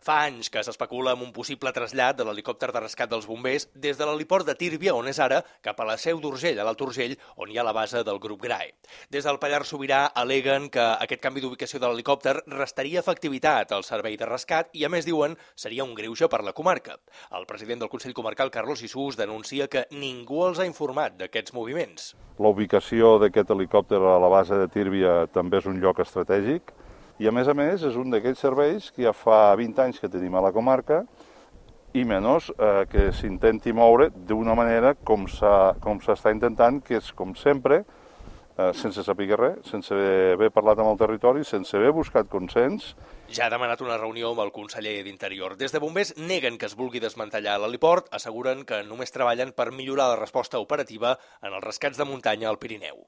Fa anys que s'especula amb un possible trasllat de l'helicòpter de rescat dels bombers des de l'heliport de Tírvia, on és ara, cap a la Seu d'Urgell, a l'Alt Urgell, on hi ha la base del grup GRAE. Des del Pallars Sobirà al·leguen que aquest canvi d'ubicació de l'helicòpter restaria efectivitat al servei de rescat i, a més, diuen, seria un greuge per la comarca. El president del Consell Comarcal, Carlos Isús, denuncia que ningú els ha informat d'aquests moviments. La ubicació d'aquest helicòpter a la base de Tírvia també és un lloc estratègic i, a més, és un d'aquells serveis que ja fa 20 anys que tenim a la comarca i menys que s'intenti moure d'una manera com s'està intentant, que és, com sempre, sense saber res, sense haver parlat amb el territori, sense haver buscat consens. Ja ha demanat una reunió amb el conseller d'Interior. Des de bombers neguen que es vulgui desmantellar l'heliport, asseguren que només treballen per millorar la resposta operativa en els rescats de muntanya al Pirineu.